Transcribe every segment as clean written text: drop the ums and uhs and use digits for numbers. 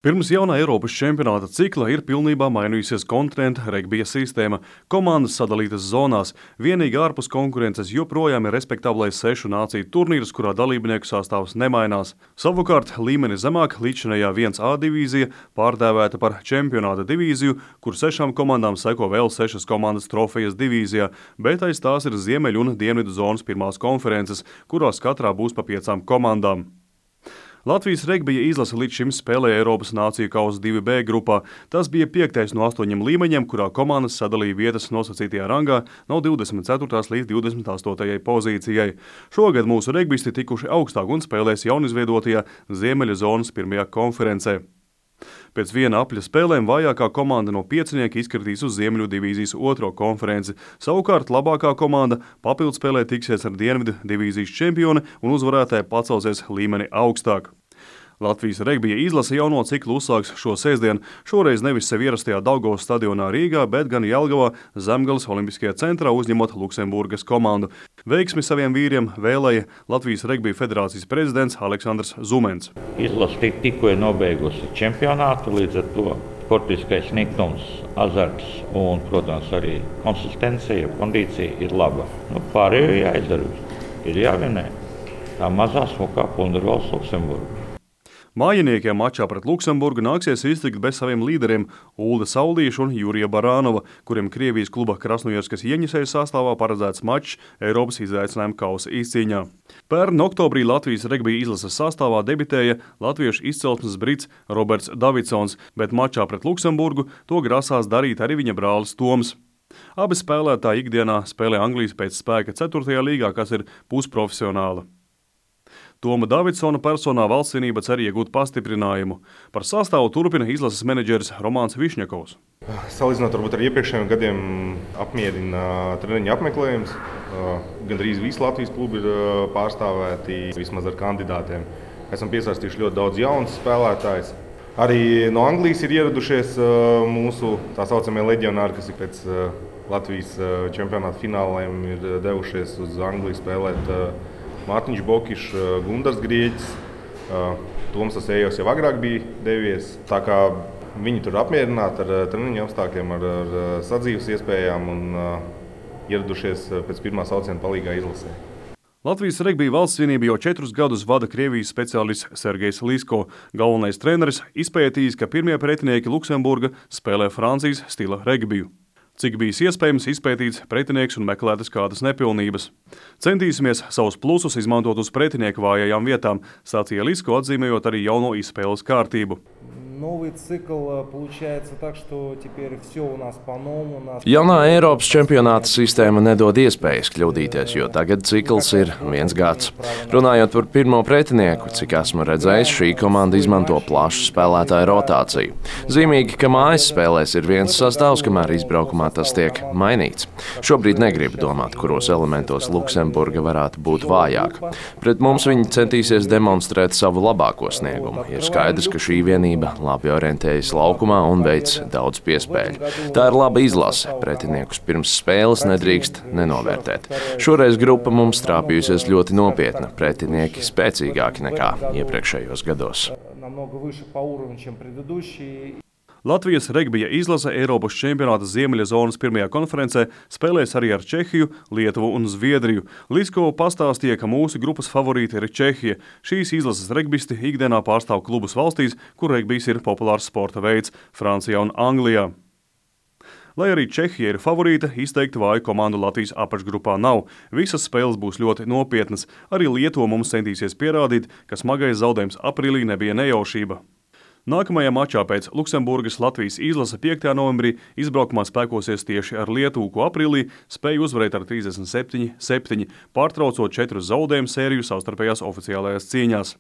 Pirms jaunā Eiropas čempionāta cikla ir pilnībā mainījusies kontinenta regbija sistēma. Komandas sadalītas zonās, vienīgi ārpus konkurences joprojām ir respektablais 6 nāciju turnīrs, kurā dalībnieku sastāvs nemainās. Savukārt līmeni zemāk līdzinējā 1A divīzija pārdēvēta par čempionāta divīziju, kur 6 komandām seko vēl 6 komandas trofejas divīzijā, bet aiz tās ir ziemeļu un dienvidu zonas pirmās konferences, kurās katrā būs pa 5 komandām. Latvijas regbija izlase līdz šim spēlēja Eiropas Nāciju kausa 2B grupā. Tas bija 5. no 8 līmeņiem, kurā komandas sadalīja vietas nosacītajā rangā no 24. līdz 28. pozīcijai. Šogad mūsu regbisti tikuši augstāk un spēlēs jaunizveidotajā Ziemeļa zonas pirmajā konferencē. Pēc viena apļa spēlēm vājākā komanda no 5 izkritīs uz Ziemeļu divīzijas 2. konferenci. Savukārt labākā komanda papildspēlē tiksies ar Dienvidu divīzijas čempioni un uzvarētāji pacelsies līmeni augstāk. Latvijas regbija izlase jauno ciklu uzsāks šo sestdienu, šoreiz nevis sev ierastajā Daugavas stadionā Rīgā, bet gan Jelgavā Zemgales olimpiskajā centrā uzņemot Luksemburgas komandu. Veiksmi saviem vīriem vēlēja Latvijas regbija federācijas prezidents Aleksandrs Zumens. Izlase tikko ir nobeigusi čempionātu, līdz ar to sportiskais niknums, azarts un, protams, arī konsistencija, kondīcija ir laba. Pārējo jāizdara, ir jāvinē. Tā mazā smukā Pundervalsts Luksemburga. Mājiniekiem mačā pret Luksemburgu nāksies iztikt bez saviem līderiem Ulda Saulīša un Jurija Barānova, kuriem Krievijas kluba Krasnojarskas Jeņisejs sastāvā paredzēts mačs Eiropas izaicinājuma kausa izcīņā. Pērn oktobrī Latvijas regbija izlases sastāvā debitēja latviešu izcelsmes brits Roberts Davidsons, bet mačā pret Luksemburgu to grasās darīt arī viņa brālis Toms. Abi spēlētāji ikdienā spēlē Anglijas pēc spēka 4. līgā, kas ir pusprofesionāla. Toma Davidsona personā valstsvienība cer iegūt pastiprinājumu. Par sastāvu turpina izlases menedžeris Romāns Višņakovs. Salīdzinot varbūt ar iepriekšējiem gadiem apmierina treniņa apmeklējums. Gandrīz visi Latvijas klubi ir pārstāvēti vismaz ar kandidātiem. Esam piesaistījuši ļoti daudz jaunus spēlētājus. Arī no Anglijas ir ieradušies mūsu tā saucamie leģionāri, kas ir pēc Latvijas čempionāta fināliem ir devušies uz Angliju spēlēt. Mārtiņš Bokišs, Gundars Grieķis, Toms Asējos jau agrāk bija devies. Tā kā viņi tur apmierināti ar treniņu apstākļiem, ar sadzīves iespējām un ieradušies pēc pirmā sauciena palīgā izlasē. Latvijas regbija valstsvienība jau 4 gadus vada Krievijas speciālists Sergejs Lisko. Galvenais treneris izpētījis, ka pirmie pretinieki Luksemburga spēlē Francijas stila regbiju. Cik bijis iespējams izpētīts pretinieks un meklētas kādas nepilnības. Centīsimies savus plusus izmantot uz pretinieku vājajām vietām, sacīja Lisko, atzīmējot arī jauno izspēles kārtību. Jaunā Eiropas čempionāta sistēma nedod iespējas kļūdīties, jo tagad cikls ir 1 gads. Runājot par pirmo pretinieku, cik esmu redzējis, šī komanda izmanto plašu spēlētāju rotāciju. Zīmīgi, ka mājas spēlēs ir viens sastāvs, kamēr izbraukumā tas tiek mainīts. Šobrīd negribu domāt, kuros elementos Luksemburga varētu būt vājāka. Pret mums viņi centīsies demonstrēt savu labāko sniegumu. Ir skaidrs, ka šī vienība labi orientējas laukumā un veic daudz piespēļu. Tā ir laba izlase. Pretiniekus pirms spēles nedrīkst nenovērtēt. Šoreiz grupa mums trāpījusies ļoti nopietna. Pretinieki spēcīgāki nekā iepriekšējos gados. Latvijas regbija izlase Eiropas čempionāta Ziemeļa zonas pirmajā konferencē spēlēs arī ar Čehiju, Lietuvu un Zviedriju. Lisko pastāstīja, ka mūsu grupas favorīti ir Čehija. Šīs izlases regbisti ikdienā pārstāv klubus valstīs, kur regbijs ir populārs sporta veids – Francijā un Anglijā. Lai arī Čehija ir favorīta, izteikti vāju komandu Latvijas apakšgrupā nav. Visas spēles būs ļoti nopietnas. Arī Lietuva mums centīsies pierādīt, ka smagais zaudējums aprīlī nebija nejaušība. Nākamajā mačā pēc Luksemburgas Latvijas izlase 5. novembrī izbraukumā spēkosies tieši ar Lietuvu, ko aprīlī spēja uzvarēt ar 37-7, pārtraucot 4 zaudējumu sēriju savstarpējās oficiālajās cīņās.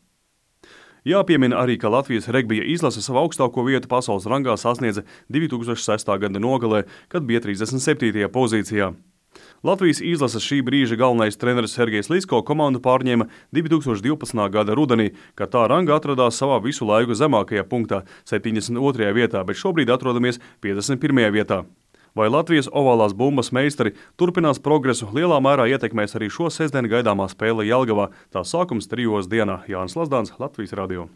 Jāpiemina arī, ka Latvijas regbija izlase savu augstāko vietu pasaules rangā sasniedza 2006. gada nogalē, kad bija 37. pozīcijā. Latvijas izlases šī brīža galvenais treneris Sergejs Lisko komandu pārņēma 2012. gada rudenī, kad tā ranga atradās savā visu laiku zemākajā punktā, 72. vietā, bet šobrīd atrodamies 51. vietā. Vai Latvijas ovālās bumbas meistari turpinās progresu, lielā mērā ietekmēs arī šo sestdienu gaidāmā spēle Jelgavā. Tā sākums 3 dienā. Jānis Lazdāns, Latvijas radio.